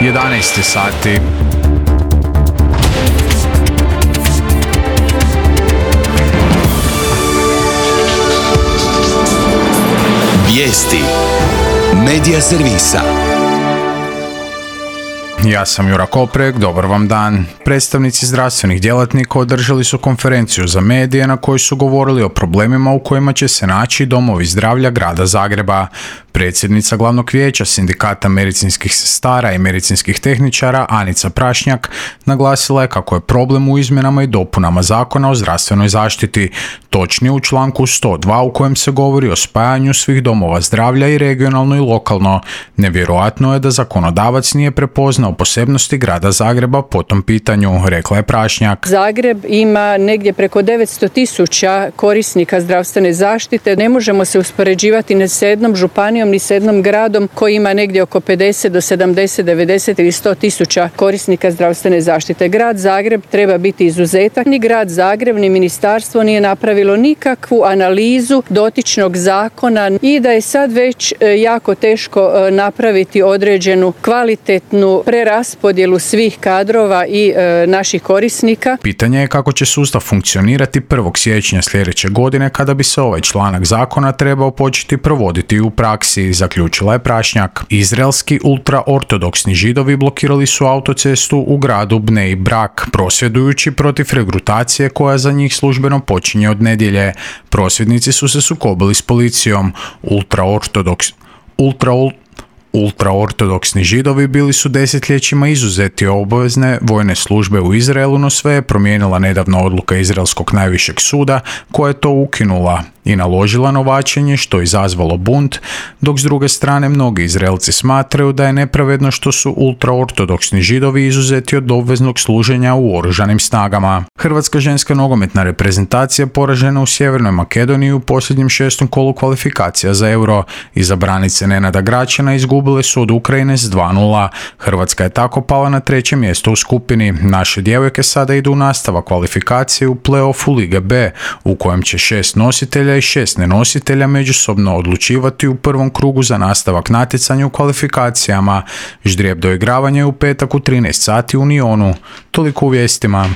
11 sati. Vijesti Medija servisa. Ja sam Jura Koprek, dobar vam dan. Predstavnici zdravstvenih djelatnika održali su konferenciju za medije na kojoj su govorili o problemima u kojima će se naći domovi zdravlja grada Zagreba. Predsjednica glavnog vijeća Sindikata medicinskih sestara i medicinskih tehničara Anica Prašnjak naglasila je kako je problem u izmjenama i dopunama Zakona o zdravstvenoj zaštiti, točnije u članku 102 u kojem se govori o spajanju svih domova zdravlja i regionalno i lokalno. Nevjerojatno je da zakonodavac nije prepoznao posebnosti grada Zagreba po tom pitanju, rekla je Prašnjak. Zagreb ima negdje preko 900.000 korisnika zdravstvene zaštite. Ne možemo se uspoređivati ni sa jednom županijom ni sa jednom gradom koji ima negdje oko 50 do 70, 90 ili 100.000 korisnika zdravstvene zaštite. Grad Zagreb treba biti izuzetak. Ni grad Zagreb ni ministarstvo nije napravilo nikakvu analizu dotičnog zakona i da je sad već jako teško napraviti određenu kvalitetnu preraspodjelu svih kadrova i naših korisnika. Pitanje je kako će sustav funkcionirati 1. siječnja sljedeće godine kada bi se ovaj članak zakona trebao početi provoditi u praksi, zaključila je Prašnjak. Izraelski ultraortodoksni židovi blokirali su autocestu u gradu Bnei Brak, prosvjedujući protiv regrutacije koja za njih službeno počinje od nedjelje. Prosvjednici su se sukobili s policijom. Ultraortodoksni židovi bili su desetljećima izuzeti obavezne vojne službe u Izraelu, no sve je promijenila nedavna odluka Izraelskog najvišeg suda koja je to ukinula i naložila novačenje što je izazvalo bunt, dok s druge strane mnogi Izraelci smatraju da je nepravedno što su ultraortodoksni židovi izuzeti od obveznog služenja u oružanim snagama. Hrvatska ženska nogometna reprezentacija poražena u Sjevernoj Makedoniji u posljednjem 6. kolu kvalifikacija za Euro. Izabranice Nenada Gračana izgubile su od Ukrajine s 2:0. Hrvatska je tako pala na 3. mjesto u skupini. Naše djevojke sada idu u nastavak kvalifikacije u play-offu Lige B, u kojem će 6 nositelja i 6 nenositelja međusobno odlučivati u prvom krugu za nastavak natjecanja u kvalifikacijama. Ždrijeb doigravanja je u petak u 13 sati u Nionu. Toliko u vijestima.